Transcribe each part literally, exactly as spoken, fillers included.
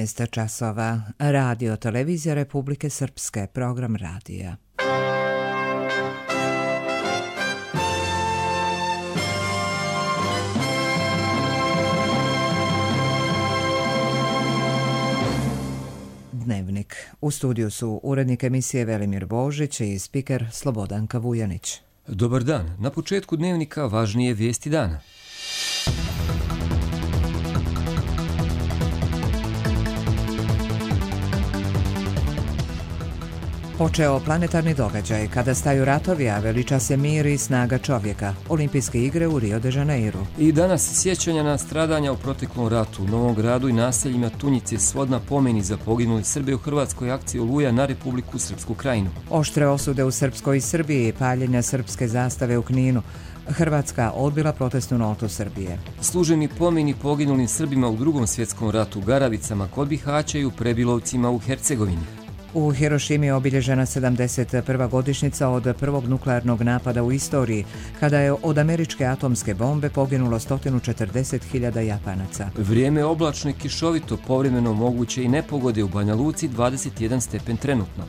jedanaest časova. Radio Televizija Republike Srpske, program radija. Dnevnik. U studiju su urednik emisije Velimir Božić i spiker Slobodanka Vujanić. Dobar dan. Na početku dnevnika važnije vijesti dana. Počeo planetarni događaj kada staju ratovi, a veliča se mir i snaga čovjeka. Olimpijske igre u Rio de Janeiru. I danas sjećanja na stradanja u proteklom ratu u Novom Gradu i naseljima Tunjice, svodna pomeni za poginuli Srbe u hrvatskoj akciji Oluja na Republiku Srpsku Krajinu. Oštre osude u Srpskoj Srbiji, paljenja srpske zastave u Kninu. Hrvatska odbila protestnu notu Srbije. Služeni pomeni poginulim Srbima u drugom svjetskom ratu, Garavicama kod Bihaća i u Prebilovcima u Hercegovini. U Hirošimi je obilježena sedamdeset prva godišnjica od prvog nuklearnog napada u istoriji, kada je od američke atomske bombe poginulo sto četrdeset hiljada Japanaca. Vrijeme je oblačno i kišovito, povremeno moguće i nepogode u Banja Luci, dvadeset jedan stepen trenutno.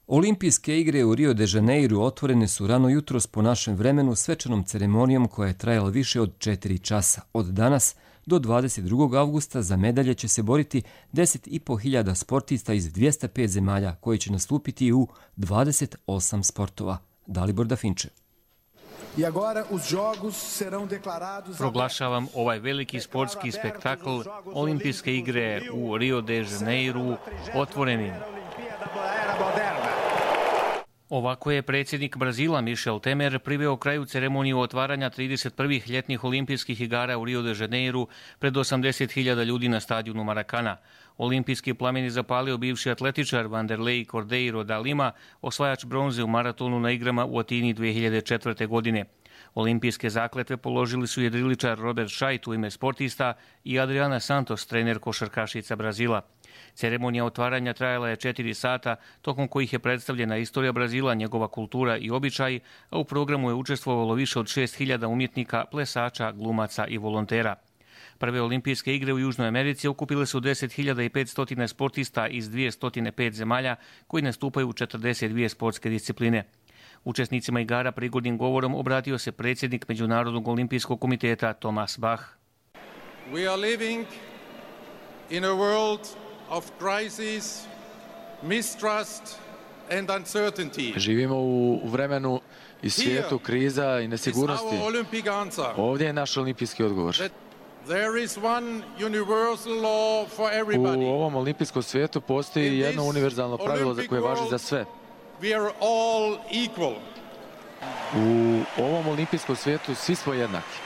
Olimpijske igre u Rio de Janeiru otvorene su rano jutros po našem vremenu svečanom ceremonijom koja je trajala više od četiri časa. Od danas do dvadeset drugog avgusta za medalje će se boriti deset i po hiljada sportista iz dvjesto pet zemalja koji će nastupiti u dvadeset osam sportova. Dalibor Dafinče. Proglašavam ovaj veliki sportski spektakl Olimpijske igre u Rio de Janeiru otvorenim. Ovako je predsjednik Brazila Michel Temer priveo kraju ceremoniju otvaranja trideset prvih ljetnih olimpijskih igara u Rio de Janeiru pred osamdeset hiljada ljudi na stadionu Maracana. Olimpijski plamen je zapalio bivši atletičar Vanderlei Cordeiro da Lima, osvajač bronze u maratonu na igrama u Atini dvije hiljade četvrte. godine. Olimpijske zakletve položili su jedriličar Robert Scheidt u ime sportista i Adriana Santos, trener košarkašica Brazila. Ceremonija otvaranja trajala je četiri sata, tokom kojih je predstavljena istorija Brazila, njegova kultura i običaji, a u programu je učestvovalo više od šest hiljada umjetnika, plesača, glumaca i volontera. Prve olimpijske igre u Južnoj Americi okupile su deset hiljada petsto sportista iz dvjesto pet zemalja koji nastupaju u četrdeset dvije sportske discipline. Učesnicima igara prigodnim govorom obratio se predsjednik Međunarodnog olimpijskog komiteta Thomas Bach. We are living in a world of crisis, mistrust and uncertainty. Živimo u vremenu i svijetu kriza i nesigurnosti. Ovdje je naš olimpijski odgovor. There is one universal law for everybody. U ovom olimpijskom svijetu postoji jedno univerzalno pravilo koje važi za sve. We are all equal. U ovom olimpijskom svijetu svi smo jednaki.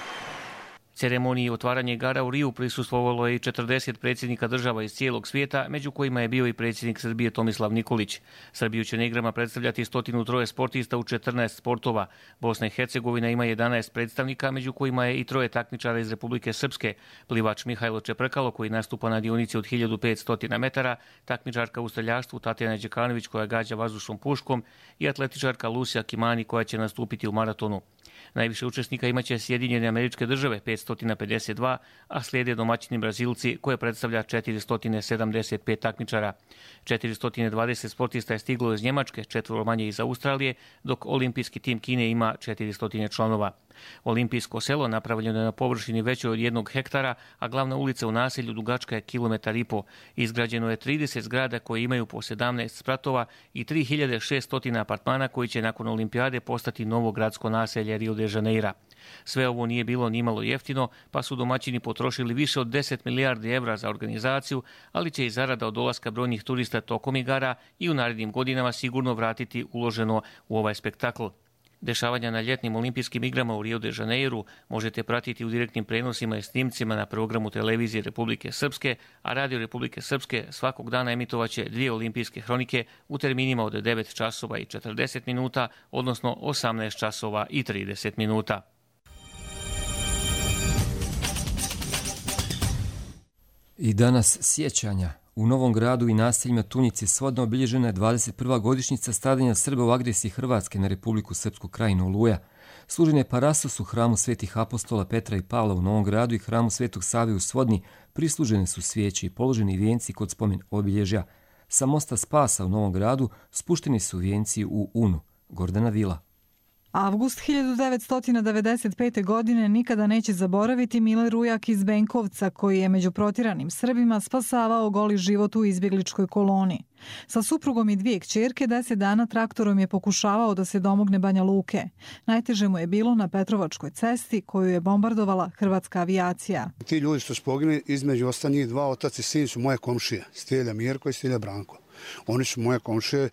Ceremoniji otvaranja igara u Riju prisustvovalo je i četrdeset predsjednika država iz cijelog svijeta, među kojima je bio i predsjednik Srbije Tomislav Nikolić. Srbiju će na igrama predstavljati sto tri sportista u četrnaest sportova. Bosna i Hercegovina ima jedanaest predstavnika, među kojima je i troje takmičara iz Republike Srpske. Plivač Mihajlo Čeprkalo koji nastupa na dionici od hiljadu petsto metara, takmičarka u streljaštvu Tatjana Đekanović koja gađa vazdušnom puškom i atletičarka Lucia Kimani koja će nastupiti u maratonu. Najviše učesnika imaće Sjedinjene Američke Države petsto pedeset dva, a slijede domaćini Brazilci koje predstavlja četiristo sedamdeset pet takmičara. četiristo dvadeset sportista je stiglo iz Njemačke, četvoro manje iz Australije, dok olimpijski tim Kine ima četiristo članova. Olimpijsko selo napravljeno je na površini većoj od jednog hektara, a glavna ulica u naselju dugačka je kilometar i po. Izgrađeno je trideset zgrada koje imaju po sedamnaest spratova i tri hiljade šesto apartmana koji će nakon olimpijade postati novo gradsko naselje Rio de Janeira. Sve ovo nije bilo nimalo jeftino, pa su domaćini potrošili više od deset milijardi evra za organizaciju, ali će i zarada od dolaska brojnih turista tokom igara i u narednim godinama sigurno vratiti uloženo u ovaj spektakl. Dešavanja na ljetnim olimpijskim igrama u Rio de Janeiru možete pratiti u direktnim prenosima i snimcima na programu televizije Republike Srpske, a Radio Republike Srpske svakog dana emitovaće dvije olimpijske hronike u terminima od devet časova i četrdeset minuta, odnosno osamnaest časova i trideset minuta. I danas sjećanja. U Novom Gradu i naseljima Tunjice svodno obilježena je dvadeset prva godišnjica stradanja Srba u agresiji Hrvatske na Republiku Srpsku Krajinu Oluja. Služenje Parasos u hramu Svetih apostola Petra i Pavla u Novom Gradu i hramu Svetog Save u Svodni prislužene su svijeće i položeni vijenci kod spomen obilježja. Sa mosta Spasa u Novom Gradu spušteni su vijenci u Unu. Gordana Vila. Avgust hiljadu devetsto devedeset pete. godine nikada neće zaboraviti Mile Rujak iz Benkovca, koji je među protjeranim Srbima spasavao goli život u izbjegličkoj koloni. Sa suprugom i dvije kćerke deset dana traktorom je pokušavao da se domogne Banja Luke. Najteže mu je bilo na Petrovačkoj cesti koju je bombardovala hrvatska avijacija. Ti ljudi što su poginuli, između ostalih dva otac i sin su moje komšije, Stilja Mirko i Stilja Branko. Oni su moje komšije,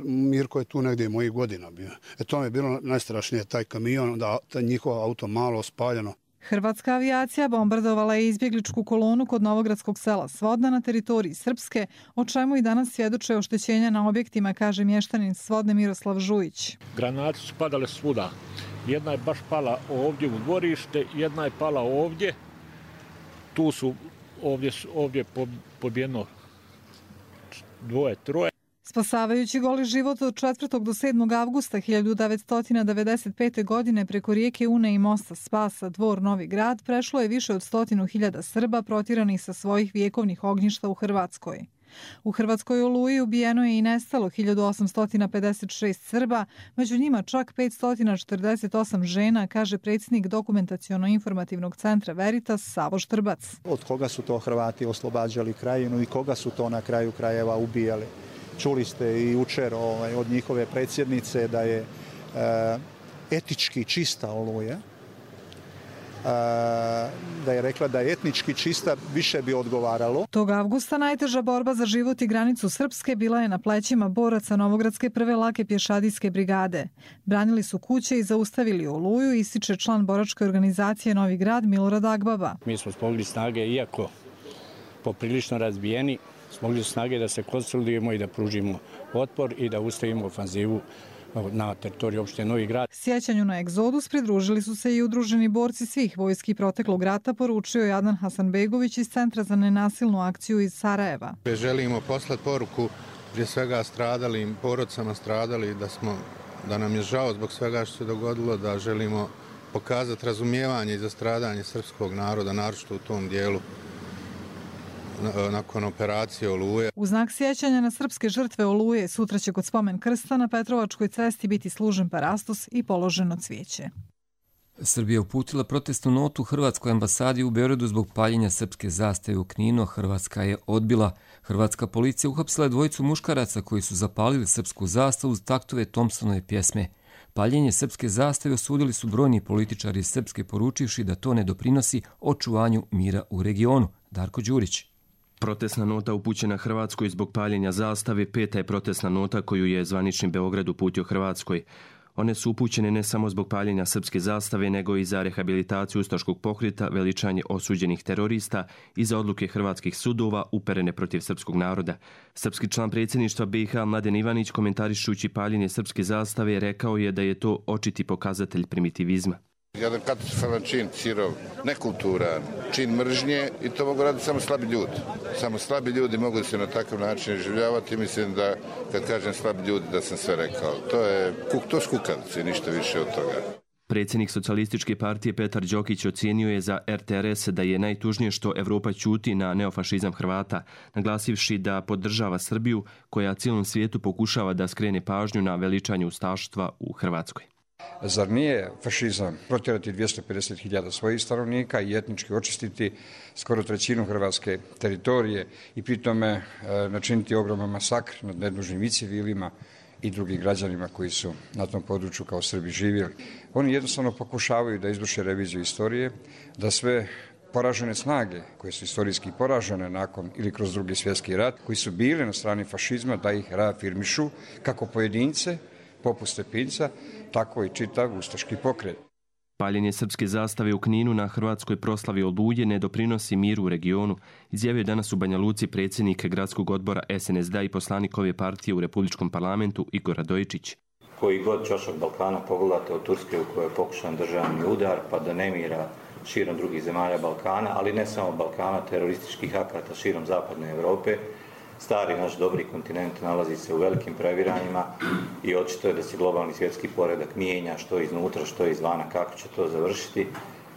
Mirko je tu negdje mojih godina bio. E to mi je bilo najstrašnije, taj kamion, da taj njihov auto malo spaljeno. Hrvatska avijacija bombardovala je izbjegličku kolonu kod novogradskog sela Svodna na teritoriji Srpske, o čemu i danas svjedoče oštećenja na objektima, kaže mještanin Svodne Miroslav Žujić. Granate su padale svuda. Jedna je baš pala ovdje u dvorište, jedna je pala ovdje. Tu su ovdje, ovdje pobijeno dvoje, troje. Spasavajući goli život od četvrtog do sedmog avgusta hiljadu devetsto devedeset pete. godine preko rijeke Une i mosta Spasa, Dvor, Novi Grad, prešlo je više od stotinu hiljada Srba protjeranih sa svojih vjekovnih ognjišta u Hrvatskoj. U Hrvatskoj Oluji ubijeno je i nestalo hiljadu osamsto pedeset šest Srba, među njima čak petsto četrdeset osam žena, kaže predsjednik dokumentaciono-informativnog centra Veritas Savo Štrbac. Od koga su to Hrvati oslobađali krajinu i koga su to na kraju krajeva ubijali? Čuli ste i jučer ovaj, od njihove predsjednice da je e, etički čista Oluja. E, da je rekla da je etnički čista, više bi odgovaralo. Tog avgusta najteža borba za život i granicu Srpske bila je na plećima boraca Novogradske prve lake pješadijske brigade. Branili su kuće i zaustavili Oluju, ističe član boračke organizacije Novi Grad Milorad Agbaba. Mi smo smogli snage, iako poprilično razbijeni, smogli su snage da se konsolidujemo i da pružimo otpor i da ustavimo ofanzivu na teritoriju opštine Novi Grad. Sjećanju na egzodus pridružili su se i udruženi borci svih vojski proteklog rata, poručio je Adnan Hasanbegović iz Centra za nenasilnu akciju iz Sarajeva. Želimo poslati poruku prije svega stradalim, porodcama stradali, da, smo, da nam je žao zbog svega što se dogodilo, da želimo pokazati razumijevanje za stradanje srpskog naroda, naročito u tom dijelu nakon operacije Oluje. U znak sjećanja na srpske žrtve Oluje sutra će kod spomen krsta na Petrovačkoj cesti biti služen parastos i položeno cvijeće. Srbija uputila protestnu notu Hrvatskoj ambasadi u Beogradu zbog paljenja srpske zastave u Kninu. Hrvatska je odbila. Hrvatska policija uhapsila je dvojicu muškaraca koji su zapalili srpsku zastavu uz taktove Thompsonove pjesme. Paljenje srpske zastave osudili su brojni političari iz Srpske, poručivši da to ne doprinosi očuvanju mira u regionu. Darko Đurić. Protestna nota upućena Hrvatskoj zbog paljenja zastave peta je protestna nota koju je zvanični Beograd uputio Hrvatskoj. One su upućene ne samo zbog paljenja srpske zastave, nego i za rehabilitaciju ustaškog pokreta, veličanje osuđenih terorista i za odluke hrvatskih sudova uperene protiv srpskog naroda. Srpski član predsjedništva B i H Mladen Ivanić, komentarišući paljenje srpske zastave, rekao je da je to očiti pokazatelj primitivizma. Jedan katastrofalan čin, sirov, nekulturan, čin mržnje i to mogu raditi samo slabi ljudi. Samo slabi ljudi mogu se na takav način življavati. Mislim da, kad kažem slabi ljudi, da sam sve rekao. To je to skukavice, ništa više od toga. Predsjednik Socijalističke partije Petar Đokić ocijenio je za R T R S da je najtužnije što Evropa ćuti na neofašizam Hrvata, naglasivši da podržava Srbiju koja cijelom svijetu pokušava da skrene pažnju na veličanje ustaštva u Hrvatskoj. Zar nije fašizam protjerati dvjesto pedeset hiljada svojih stanovnika i etnički očistiti skoro trećinu hrvatske teritorije i pritome e, načiniti ogroman masakr nad nedužnim i civilima i drugim građanima koji su na tom području kao Srbi živjeli? Oni jednostavno pokušavaju da izvrše reviziju istorije, da sve poražene snage koje su istorijski poražene nakon ili kroz drugi svjetski rat, koji su bili na strani fašizma, da ih reafirmišu kako pojedince, poput Stepinca, tako i čitav ustaški pokret. Paljenje srpske zastave u Kninu na hrvatskoj proslavi Oluje ne doprinosi miru u regionu, izjavio je danas u Banja Luci predsjednik gradskog odbora S N S D i poslanik ove partije u Republičkom parlamentu Igor Radojičić. Koji god čašak Balkana pogledate od Turske u kojoj je pokušan državni udar pa do nemira širom drugih zemalja Balkana, ali ne samo Balkana, terorističkih akata širom zapadne Europe, Stari naš dobri kontinent nalazi se u velikim previranjima i očito je da se globalni svjetski poredak mijenja što iznutra, što izvana. Kako će to završiti?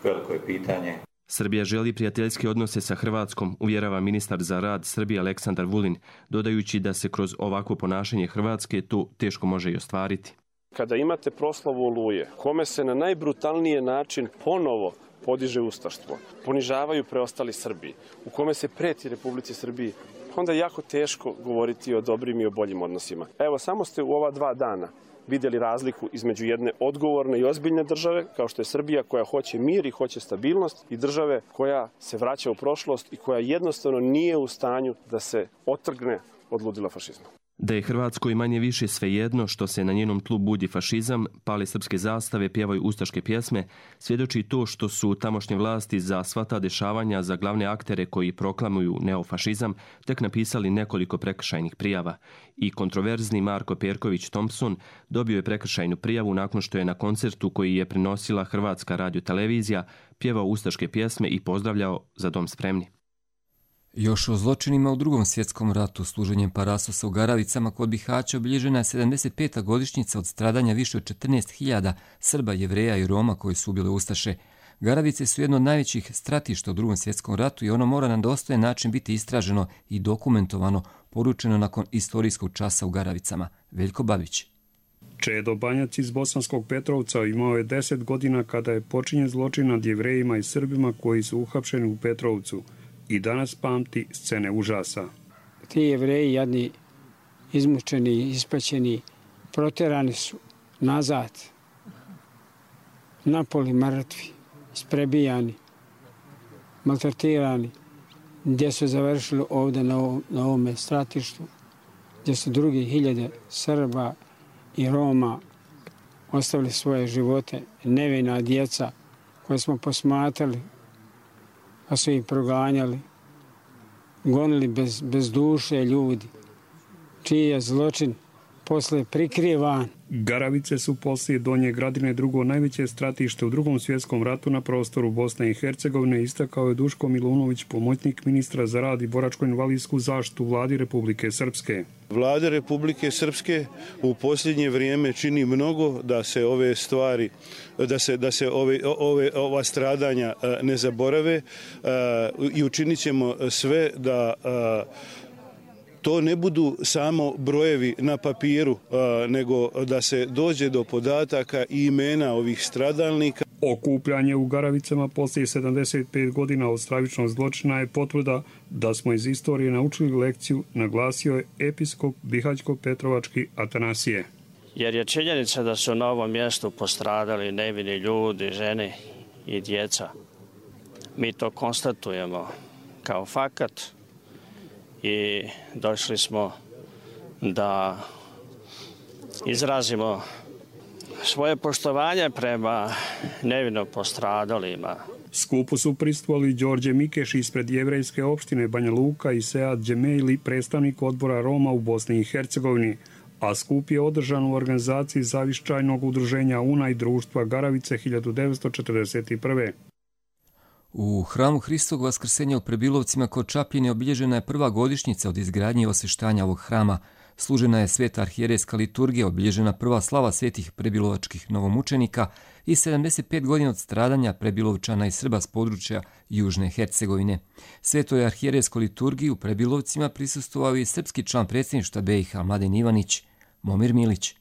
Veliko je pitanje. Srbija želi prijateljske odnose sa Hrvatskom, uvjerava ministar za rad Srbije Aleksandar Vulin, dodajući da se kroz ovakvo ponašanje Hrvatske to teško može i ostvariti. Kada imate proslavu Oluje, kome se na najbrutalniji način ponovo podiže ustaštvo, ponižavaju preostali Srbiji, u kome se preti Republici Srbiji, onda je jako teško govoriti o dobrim i o boljim odnosima. Evo, samo ste u ova dva dana vidjeli razliku između jedne odgovorne i ozbiljne države, kao što je Srbija, koja hoće mir i hoće stabilnost, i države koja se vraća u prošlost i koja jednostavno nije u stanju da se otrgne od ludila fašizma. Da je Hrvatskoj manje više svejedno što se na njenom tlu budi fašizam, pale srpske zastave, pjevaju ustaške pjesme, svjedoči to što su tamošnje vlasti za sva ta dešavanja za glavne aktere koji proklamuju neofašizam tek napisali nekoliko prekršajnih prijava. I kontroverzni Marko Perković Thompson dobio je prekršajnu prijavu nakon što je na koncertu koji je prenosila Hrvatska radiotelevizija pjevao ustaške pjesme i pozdravljao Za dom spremni. Još o zločinima u Drugom svjetskom ratu, služenjem parasosa u Garavicama kod Bihaća, obilježena je sedamdeset peta godišnjica od stradanja više od četrnaest hiljada Srba, Jevreja i Roma koji su ubili ustaše. Garavice su jedno od najvećih stratišta u Drugom svjetskom ratu i ono mora na dostojan način biti istraženo i dokumentovano, poručeno nakon istorijskog časa u Garavicama. Veljko Babić. Čedo Banjac iz Bosanskog Petrovca imao je deset godina kada je počinjen zločin nad Jevrejima i Srbima koji su uhapšeni u Petrovcu. I danas pamti scene užasa. Ti Jevreji, jadni, izmučeni, ispaćeni, proterani su nazad, napoli mrtvi, isprebijani, maltretirani, gdje su završili ovdje na, ovom, na ovome stratištu, gdje su drugi hiljade Srba i Roma ostavili svoje živote, nevina djeca koje smo posmatrali, a su ih proganjali, gonili bez, bez duše ljudi, čiji je zločin posle prikrivan. Garavice su poslije Donje Gradine drugo najveće stratište u Drugom svjetskom ratu na prostoru Bosne i Hercegovine, istakao je Duško Milunović, pomoćnik ministra za rad i boračko-invalidsku zaštitu vladi Republike Srpske. Vlada Republike Srpske u posljednje vrijeme čini mnogo da se ove stvari, da se, da se ove, ove, ova stradanja ne zaborave i učinit ćemo sve da to ne budu samo brojevi na papiru, nego da se dođe do podataka i imena ovih stradalnika. Okupljanje u Garavicama poslije sedamdeset pet godina od stravičnog zločina je potvrda da smo iz istorije naučili lekciju, naglasio je episkop Bihaćko-Petrovački Atanasije. Jer je činjenica da su na ovom mjestu postradali nevini ljudi, žene i djeca. Mi to konstatujemo kao fakat i došli smo da izrazimo svoje poštovanje prema nevino postradalima. Skupu su prisustvovali Đorđe Mikeš ispred jevrejske opštine Banja Luka i Sead Džemejli, predstavnik odbora Roma u Bosni i Hercegovini, a skup je održan u organizaciji zaviščajnog udruženja U N A i društva Garavice hiljadu devetsto četrdeset prve. U hramu Hristovog vaskrsenja u Prebilovcima kod Čapljine obilježena je prva godišnjica od izgradnje i osveštanja ovog hrama. Služena je sveta arhijerejska liturgija, obilježena prva slava svetih prebilovačkih novomučenika i sedamdeset pet godina od stradanja Prebilovčana i Srba s područja Južne Hercegovine. Svetoj arhijerejskoj liturgiji u Prebilovcima prisustvovao i srpski član predsjedništva B i H Mladen Ivanić, Momir Milić.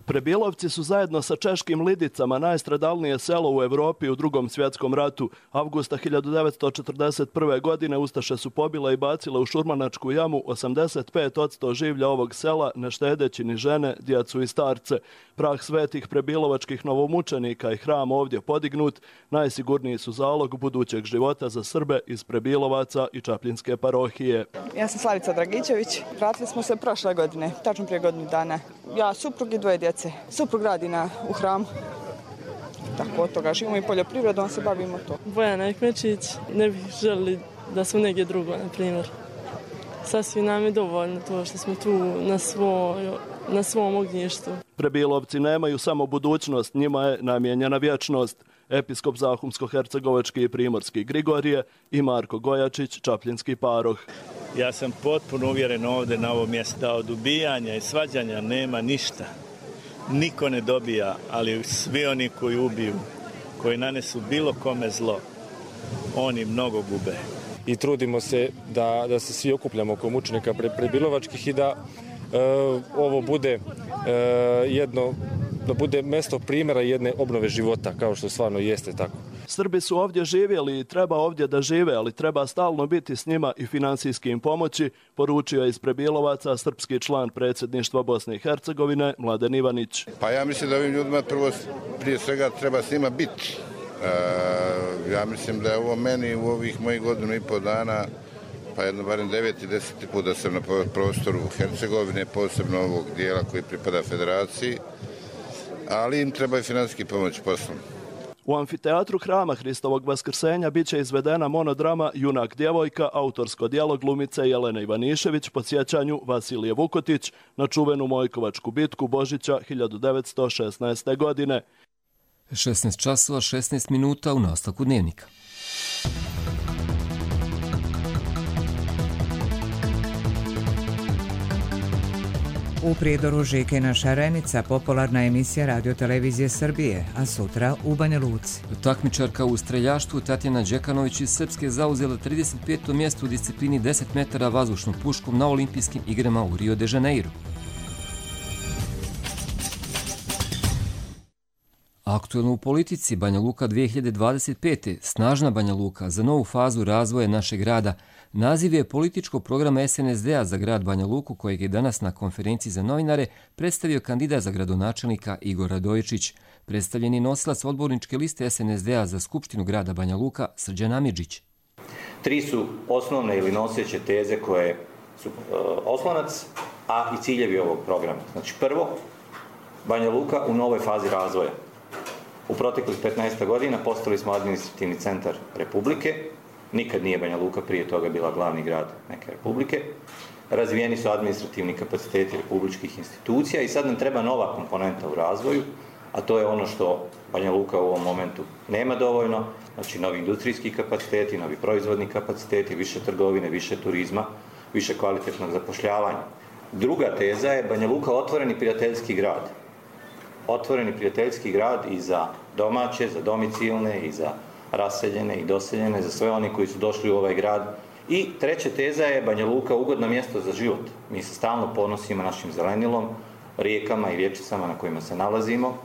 Prebilovci su zajedno sa češkim Lidicama najstradalnije selo u Evropi u Drugom svjetskom ratu. Avgusta hiljadu devetsto četrdeset prve. godine ustaše su pobile i bacile u Šurmanačku jamu osamdeset pet posto življa ovog sela, ne štedeći ni žene, djecu i starce. Prah svetih prebilovačkih novomučenika i hram ovdje podignut najsigurniji su zalog budućeg života za Srbe iz Prebilovaca i Čapljinske parohije. Ja sam Slavica Dragićević. Vratili smo se prošle godine, tačno prije godinu dana. Ja, suprug i dvoje djece. Suprug radi na, u hramu. Tako od toga živimo i poljoprivredom se bavimo to. Bojana Ekmečić, ne bih želili da smo negdje drugo, na primjer. Sasvim nam je dovoljno to što smo tu na, svoj, na svom ognjištu. Prebilovci nemaju samo budućnost, njima je namijenjena vječnost. episkop Zahumsko-hercegovački i primorski Grigorije i Marko Gojačić, čapljinski paroh. Ja sam potpuno uvjeren ovdje na ovom mjestu da od ubijanja i svađanja nema ništa. Niko ne dobija, ali svi oni koji ubiju, koji nanesu bilo kome zlo, oni mnogo gube. I trudimo se da, da se svi okupljamo oko mučenika Prebilovačkih i da e, ovo bude e, jedno, da bude mjesto primjera jedne obnove života, kao što stvarno jeste tako. Srbi su ovdje živjeli i treba ovdje da žive, ali treba stalno biti s njima i financijski im pomoći, poručio je iz Prebilovaca srpski član predsjedništva Bosne i Hercegovine Mladen Ivanić. Pa ja mislim da ovim ljudima prvo, prije svega treba s njima biti. E, ja mislim da je ovo meni u ovih mojih godinu i pol dana, pa jedno barem devet i deseti put da sam na prostoru Hercegovine, posebno ovog dijela koji pripada federaciji, ali im treba i financijski pomoć poslom. U amfiteatru Hrama Hristovog Vaskrsenja bit će izvedena monodrama Junak djevojka, autorsko djelo glumice Jelene Ivanišević po sjećanju Vasilije Vukotić na čuvenu Mojkovačku bitku Božića hiljadu devetsto šesnaeste. godine. šesnaest časova šesnaest minuta u nastavku dnevnika. U Prijedoru Žikina Šarenica, popularna emisija Radio-televizije Srbije, a sutra u Banja Luci. Takmičarka u streljaštvu Tatjana Đekanović iz Srpske zauzela trideset peto mjesto u disciplini deset metara vazdušnom puškom na olimpijskim igrama u Rio de Janeiro. Aktuelno u politici, Banja Luka dvije hiljade dvadeset pete. Snažna Banja Luka za novu fazu razvoja našeg grada. Naziv je političkog programa S N S D-a za grad Banja Luku, kojeg je danas na konferenciji za novinare predstavio kandidat za gradonačelnika Igor Radojičić. Predstavljen je nosilac odborničke liste S N S D-a za Skupštinu grada Banja Luka, Srđan Amidžić. Tri su osnovne ili noseće teze koje su uh, oslonac, a i ciljevi ovog programa. Znači prvo, Banja Luka u novoj fazi razvoja. U proteklih petnaest godina postali smo administrativni centar Republike. Nikad nije Banja Luka prije toga bila glavni grad neke republike. Razvijeni su administrativni kapaciteti republičkih institucija i sad nam treba nova komponenta u razvoju, a to je ono što Banja Luka u ovom momentu nema dovoljno, znači novi industrijski kapaciteti, novi proizvodni kapaciteti, više trgovine, više turizma, više kvalitetnog zapošljavanja. Druga teza je Banja Luka otvoreni prijateljski grad. Otvoreni prijateljski grad i za domaće, za domicilne i za raseljene i doseljene, za sve oni koji su došli u ovaj grad. I treća teza je Banja Luka ugodno mjesto za život. Mi se stalno ponosimo našim zelenilom, rijekama i rječicama na kojima se nalazimo.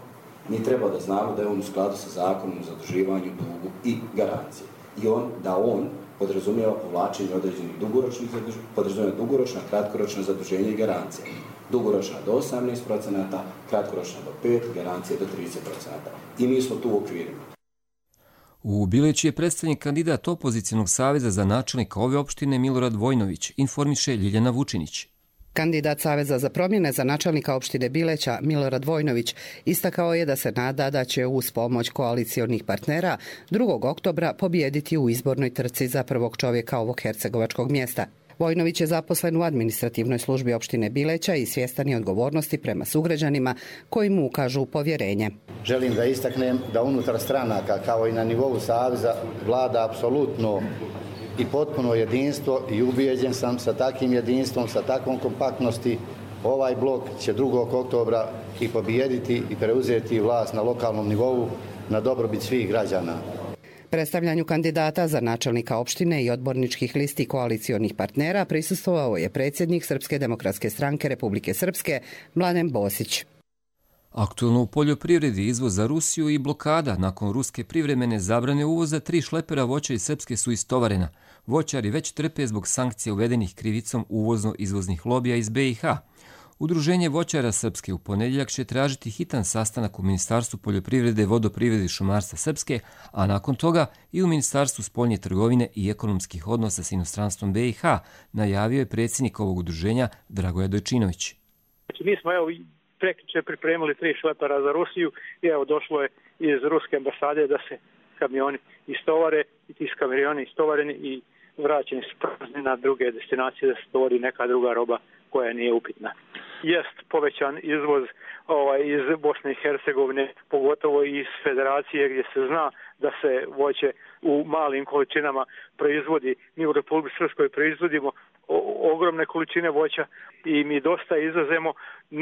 Mi treba da znamo da je on u skladu sa zakonom o zaduživanju, dugu i garancije. I on, da on podrazumijeva povlačenje određenih dugoročnih zaduženja, podrazumijeva dugoročna, kratkoročna zaduženja i garancije. Dugoročna do osamnaest procenata, kratkoročna do pet, garancije do trideset procenata. I mi smo tu u okvirima. U Bileći je predstavnik kandidat opozicionog saveza za načelnika ove opštine Milorad Vojnović, informiše Ljiljana Vučinić. Kandidat Saveza za promjene za načelnika opštine Bileća Milorad Vojnović istakao je da se nada da će uz pomoć koalicionih partnera drugog oktobra pobijediti u izbornoj trci za prvog čovjeka ovog hercegovačkog mjesta. Vojnović je zaposlen u administrativnoj službi opštine Bileća i svjestan je odgovornosti prema sugrađanima koji mu ukažu povjerenje. Želim da istaknem da unutar stranaka kao i na nivou Saveza vlada apsolutno i potpuno jedinstvo i ubijeđen sam sa takvim jedinstvom, sa takvom kompaktnosti, ovaj blok će drugog oktobra i pobijediti i preuzeti vlast na lokalnom nivou na dobrobit svih građana. Predstavljanju kandidata za načelnika opštine i odborničkih listi koalicionih partnera prisustvovao je predsjednik Srpske demokratske stranke Republike Srpske Mladen Bosić. Aktuelno u poljoprivredi izvoz za Rusiju i blokada nakon ruske privremene zabrane uvoza tri šlepera voća iz Srpske su istovarena. Voćari već trpe zbog sankcija uvedenih krivicom uvozno-izvoznih lobija iz B i H. Udruženje voćara Srpske u ponedjeljak će tražiti hitan sastanak u Ministarstvu poljoprivrede, vodoprivrede i šumarstva Srpske, a nakon toga i u Ministarstvu spoljne trgovine i ekonomskih odnosa s inostranstvom B i H, najavio je predsjednik ovog udruženja Dragoje Dojčinović. Mi smo evo prekjuče pripremili tri šlepera za Rusiju i evo došlo je iz ruske ambasade da se kamioni istovare i ti kamioni istovareni i vraćeni su prazni na druge destinacije da se stvori neka druga roba koja nije upitna. jest povećan izvoz ovaj, iz Bosne i Hercegovine, pogotovo iz Federacije gdje se zna da se voće u malim količinama proizvodi. Mi u Republici Srpskoj proizvodimo o, ogromne količine voća i mi dosta izvozimo.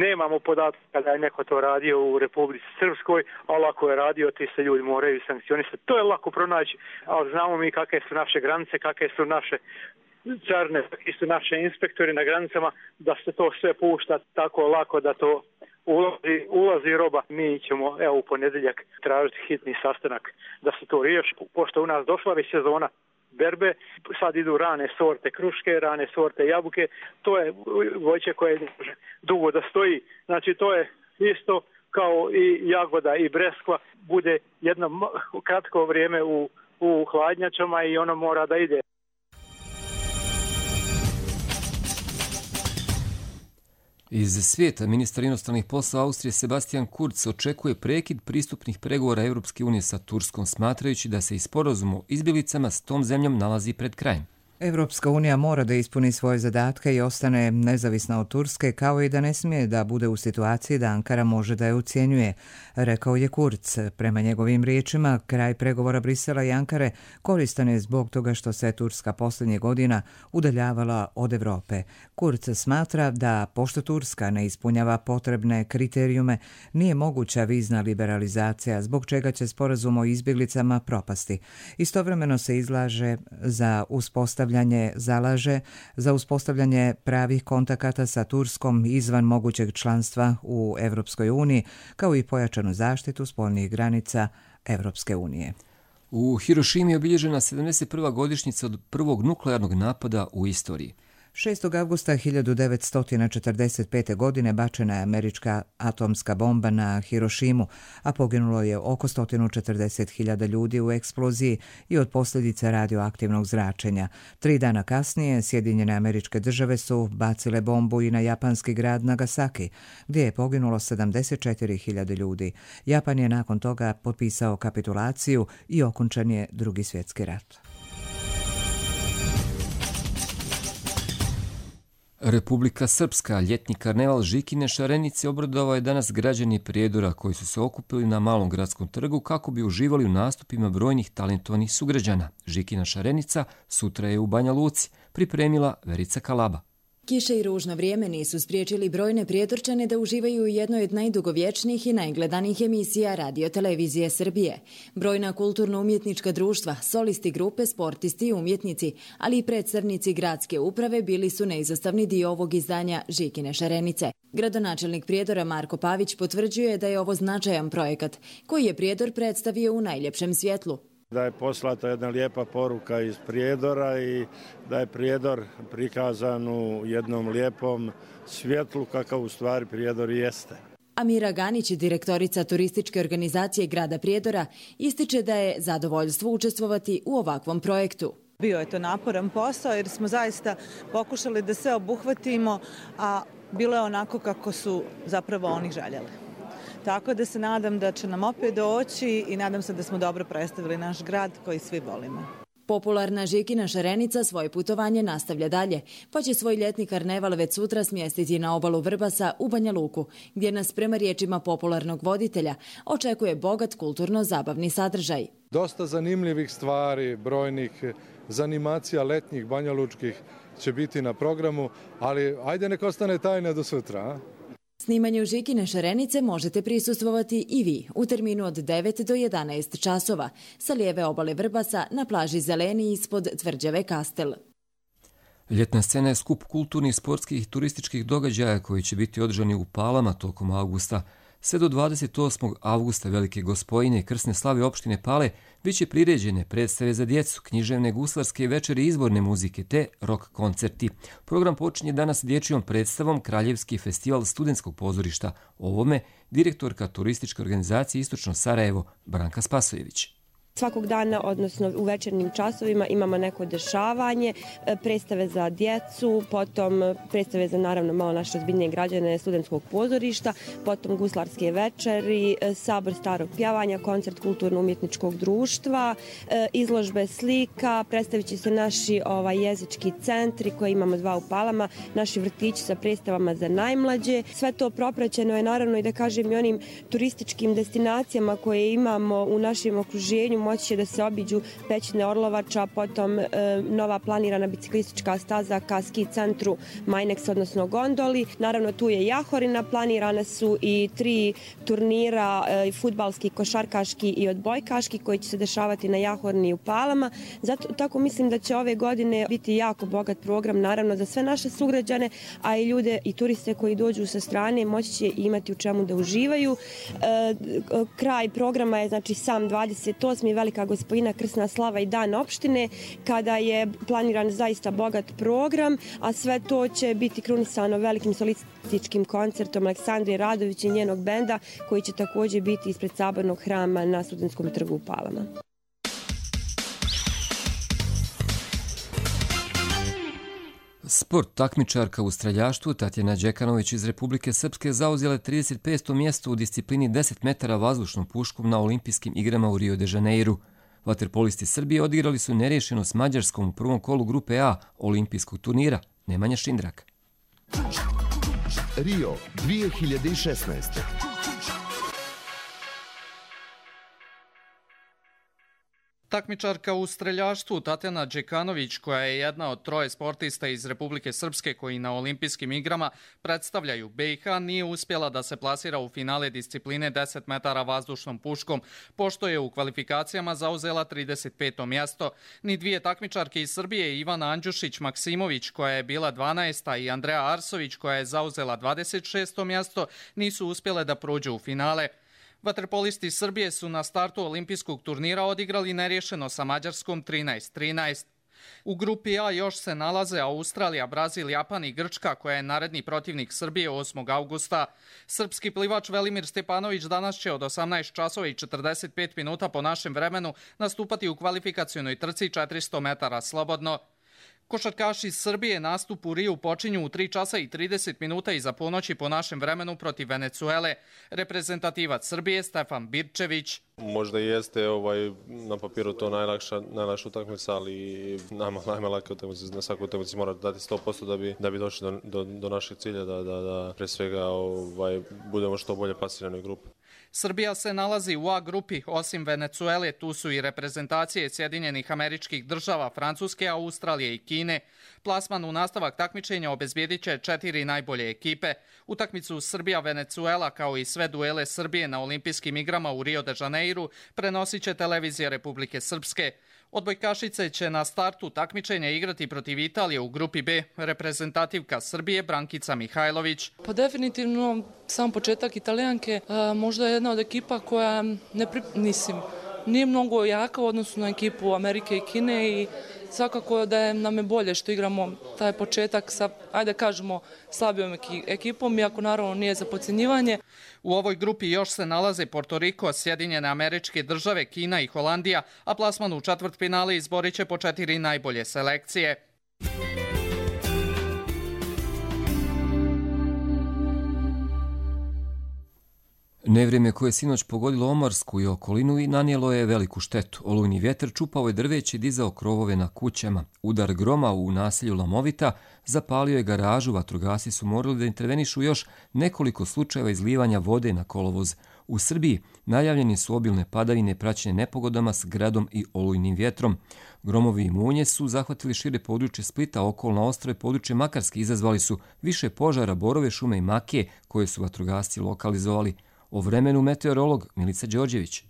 Nemamo podatka da je neko to radio u Republici Srpskoj, ali ako je radio, ti se ljudi moraju sankcionisati. To je lako pronaći, ali znamo mi kakve su naše granice, kakve su naše carne, kakvi su naše inspektori na granicama, da se to sve pušta tako lako da to ulazi, ulazi roba. Mi ćemo, evo, u ponedjeljak tražiti hitni sastanak da se to riješi. Pošto u nas došla već sezona berbe, sad idu rane sorte kruške, rane sorte jabuke, to je voće koje može dugo da stoji. Znači to je isto kao i jagoda i breskva, bude jedno kratko vrijeme u, u hladnjačama i ono mora da ide. Iz svijeta ministar inostranih poslova Austrije Sebastian Kurz očekuje prekid pristupnih pregovora Europske unije sa Turskom, smatrajući da se i sporazum o izbjeglicama s tom zemljom nalazi pred krajem. Europska unija mora da ispuni svoje zadatke i ostane nezavisna od Turske, kao i da ne smije da bude u situaciji da Ankara može da je ucijenjuje, rekao je Kurz. Prema njegovim riječima, kraj pregovora Brisela i Ankare koristan je zbog toga što se Turska posljednjih godina udaljavala od Europe. Kurz smatra da, pošto Turska ne ispunjava potrebne kriterijume, nije moguća vizna liberalizacija, zbog čega će sporazum o izbjeglicama propasti. Istovremeno se izlaže za uspostavljanje zalaže za uspostavljanje pravih kontakata sa Turskom izvan mogućeg članstva u Europskoj uniji, kao i pojačanu zaštitu spoljnih granica Europske unije. U Hirošimi je obilježena sedamdeset prva godišnjica od prvog nuklearnog napada u istoriji. šestog avgusta hiljadu devetsto četrdeset pete. godine bačena je američka atomska bomba na Hirošimu, a poginulo je oko sto četrdeset hiljada ljudi u eksploziji i od posljedica radioaktivnog zračenja. Tri dana kasnije Sjedinjene Američke Države su bacile bombu i na japanski grad Nagasaki, gdje je poginulo sedamdeset četiri hiljade ljudi. Japan je nakon toga potpisao kapitulaciju i okončan je Drugi svjetski rat. Republika Srpska, ljetni karneval Žikine Šarenice obradovao je danas građani Prijedora koji su se okupili na Malom gradskom trgu kako bi uživali u nastupima brojnih talentovanih sugrađana. Žikina Šarenica sutra je u Banja Luci, pripremila Verica Kalaba. Kiše i ružno vrijeme nisu spriječili brojne Prijedorčane da uživaju u jednoj od najdugovječnijih i najgledanijih emisija Radio Televizije Srbije. Brojna kulturno-umjetnička društva, solisti grupe, sportisti i umjetnici, ali i predstavnici gradske uprave bili su neizostavni dio ovog izdanja Žikine Šarenice. Gradonačelnik Prijedora Marko Pavić potvrđuje da je ovo značajan projekat koji je Prijedor predstavio u najljepšem svjetlu. Da je poslata jedna lijepa poruka iz Prijedora i da je Prijedor prikazan u jednom lijepom svjetlu kakav u stvari Prijedor jeste. Amira Ganić, direktorica turističke organizacije grada Prijedora, ističe da je zadovoljstvo učestvovati u ovakvom projektu. Bio je to naporan posao jer smo zaista pokušali da sve obuhvatimo, a bilo je onako kako su zapravo oni željeli. Tako da se nadam da će nam opet doći i nadam se da smo dobro predstavili naš grad koji svi volimo. Popularna Žikina Šarenica svoje putovanje nastavlja dalje, pa će svoj ljetni karneval već sutra smjestiti na obalu Vrbasa u Banja Luku, gdje nas prema riječima popularnog voditelja očekuje bogat kulturno-zabavni sadržaj. Dosta zanimljivih stvari, brojnih zanimacija letnjih banjalučkih će biti na programu, ali ajde nek ostane tajna do sutra, a? Snimanju Žikine Šarenice možete prisustvovati i vi u terminu od devet do jedanaest časova sa lijeve obale Vrbasa na plaži Zeleni ispod tvrđave Kastel. Ljetna scena je skup kulturnih, sportskih i turističkih događaja koji će biti održani u Palama tokom avgusta. Sve do dvadeset osmog avgusta Velike Gospojine i krsne slave opštine Pale bit će priređene predstave za djecu, književne, guslarske večeri, izborne muzike te rock koncerti. Program počinje danas dječjom predstavom Kraljevski festival studentskog pozorišta. O ovome direktorka turističke organizacije Istočno Sarajevo Branka Spasojević. Svakog dana, odnosno u večernjim časovima, imamo neko dešavanje, predstave za djecu, potom predstave za naravno malo naše ozbiljnije građane studentskog pozorišta, potom guslarske večeri, sabor starog pjevanja, koncert kulturno-umjetničkog društva, izložbe slika, predstavit će se naši ovaj, jezički centri koje imamo dva u Palama, naši vrtići sa predstavama za najmlađe. Sve to propraćeno je naravno i da kažem i onim turističkim destinacijama koje imamo u našem okruženju. Moći će da se obiđu Pećine Orlovača, potom e, nova planirana biciklistička staza ka ski centru Majneks, odnosno gondoli. Naravno tu je Jahorina, planirane su i tri turnira, e, fudbalski, košarkaški i odbojkaški koji će se dešavati na Jahorini i u Palama. Zato tako mislim da će ove godine biti jako bogat program, naravno za sve naše sugrađane, a i ljude i turiste koji dođu sa strane moći će imati u čemu da uživaju. E, kraj programa je znači sam dvadeset osmi Velika Gospojina, Krsna slava i dan opštine, kada je planiran zaista bogat program, a sve to će biti krunisano velikim solističkim koncertom Aleksandre Radović i njenog benda, koji će također biti ispred Sabornog hrama na Studentskom trgu u Palama. Sport takmičarka u streljaštvu Tatjana Đekanović iz Republike Srpske zauzela trideset peto mjesto u disciplini deset metara vazdušnom puškom na olimpijskim igrama u Rio de Janeiru. Vaterpolisti Srbije odigrali su nerješeno s Mađarskom u prvom kolu grupe A olimpijskog turnira. Nemanja Šindrak. Rio dvije hiljade šesnaeste. Takmičarka u streljaštvu Tatjana Đekanović, koja je jedna od troje sportista iz Republike Srpske koji na olimpijskim igrama predstavljaju B i H, nije uspjela da se plasira u finale discipline deset metara vazdušnom puškom, pošto je u kvalifikacijama zauzela trideset peto mjesto. Ni dvije takmičarke iz Srbije, Ivana Andjušić-Maksimović, koja je bila dvanaesta, i Andreja Arsović, koja je zauzela dvadeset šesto mjesto, nisu uspjele da prođu u finale. Vaterpolisti Srbije su na startu olimpijskog turnira odigrali nerješeno sa Mađarskom trinaest trinaest. U grupi A još se nalaze Australija, Brazil, Japan i Grčka, koja je naredni protivnik Srbije osmog avgusta. Srpski plivač Velimir Stepanović danas će od osamnaest časova i četrdeset pet minuta po našem vremenu nastupati u kvalifikacionoj trci četiristo metara slobodno. Košarkaši iz Srbije nastup u Riju počinju u tri časa i trideset minuta iza ponoći po našem vremenu protiv Venecuele. Reprezentativac Srbije Stefan Birčević. Možda jeste ovaj, na papiru to najlakša, najlakša utakmica, ali nama najlakša utakmica, na svakoj utakmici mora dati sto posto da bi, da bi došli do, do, do našeg cilja, da, da, da pre svega ovaj, budemo što bolje plasirani u grupu. Srbija se nalazi u A grupi, osim Venecuele, tu su i reprezentacije Sjedinjenih Američkih Država, Francuske, Australije i Kine. Plasman u nastavak takmičenja obezbijedit će četiri najbolje ekipe. Utakmicu Srbija-Venecuela, kao i sve duele Srbije na olimpijskim igrama u Rio de Janeiru, prenosit će televizija Republike Srpske. Odbojkašice će na startu takmičenja igrati protiv Italije u grupi B, reprezentativka Srbije Brankica Mihajlović. Pa definitivno sam početak Italijanke, možda je jedna od ekipa koja ne pri... Nisim, nije mnogo jaka u odnosu na ekipu Amerike i Kine i svakako da je nam je bolje što igramo taj početak sa, ajde kažemo, slabijom ekipom, iako naravno nije za podcjenjivanje. U ovoj grupi još se nalaze Porto Riko, Sjedinjene Američke Države, Kina i Holandija, a plasman u četvrtfinale izborit će po četiri najbolje selekcije. Nevrijeme koje je sinoć pogodilo Omarsku i okolinu i nanijelo je veliku štetu. Olujni vjetar čupao je drveće i dizao krovove na kućama. Udar groma u naselju Lamovita zapalio je garažu, vatrogasci su morali da intervenišu još nekoliko slučajeva izlivanja vode na kolovoz. U Srbiji najavljeni su obilne padavine praćene nepogodama s gradom i olujnim vjetrom. Gromovi i munje su zahvatili šire područje Splita, okolna ostrve područje Makarske, izazvali su više požara, borove, šume i makije koje su vatrogasci lokalizovali. O vremenu meteorolog Milica Đorđević.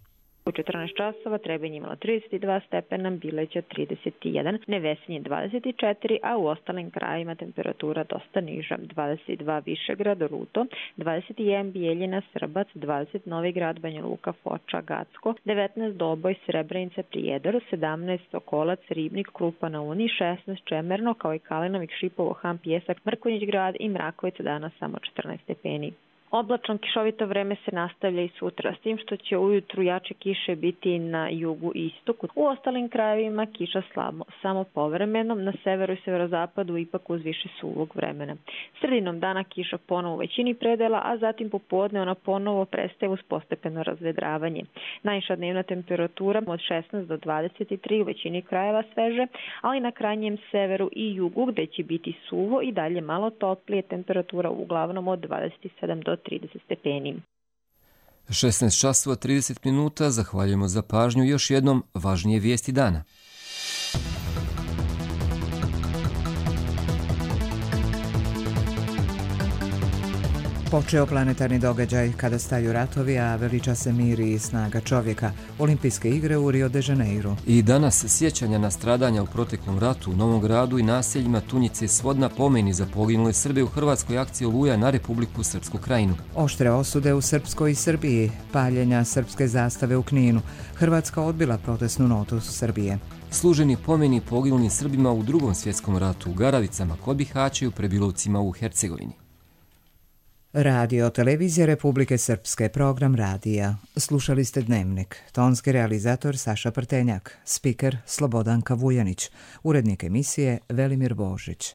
U četrnaest časova Trebinje imalo trideset dva stepena, Bileća trideset jedan, Nevesinje dvadeset četiri, a u ostalim krajima temperatura dosta niža. dvadeset dva Višegrad, Ruto, dvadeset jedan Bijeljina, Srbac, dvadeset Novi Grad, Banja Luka, Foča, Gacko, devetnaest Doboj, Srebrenica, Prijedor, sedamnaest Sokolac, Ribnik, Krupa na Uni, šesnaest Čemerno, kao i Kalinovik, Šipovo, Han, Pjesak, Mrkonjić Grad i Mrakovica, danas samo četrnaest stepeni. Oblačno kišovito vreme se nastavlja i sutra, s tim što će ujutru jače kiše biti na jugu i istoku. U ostalim krajevima kiša slabo, samo povremeno, na severu i severozapadu ipak uz više suvog vremena. Sredinom dana kiša ponovo u većini predela, a zatim popodne ona ponovo prestaje uz postepeno razvedravanje. Najviša dnevna temperatura od šesnaest do dvadeset tri u većini krajeva sveže, ali na krajnjem severu i jugu gde će biti suvo i dalje malo toplije, temperatura uglavnom od dvadeset sedam do trideset stepeni. šesnaest časova trideset minuta, zahvaljujemo za pažnju. Još jednom važnije vijesti dana. Počeo planetarni događaj kada staju ratovi, a veliča se mir i snaga čovjeka. Olimpijske igre u Rio de Janeiro. I danas sjećanja na stradanja u proteklom ratu u Novom Gradu i naseljima Tunjice i Svodna, pomeni za poginule Srbe u hrvatskoj akciji Oluja na Republiku Srpsku Krajinu. Oštre osude u Srpskoj i Srbiji, paljenja srpske zastave u Kninu. Hrvatska odbila protestnu notu Srbije. Služeni pomeni poginulim Srbima u Drugom svjetskom ratu u Garavicama kod Bihaća i u Prebilovcima u Hercegovini. Radio Televizija Republike Srpske, program radija. Slušali ste Dnevnik. Tonski realizator Saša Prtenjak, spiker Slobodanka Vujanić, urednik emisije Velimir Božić.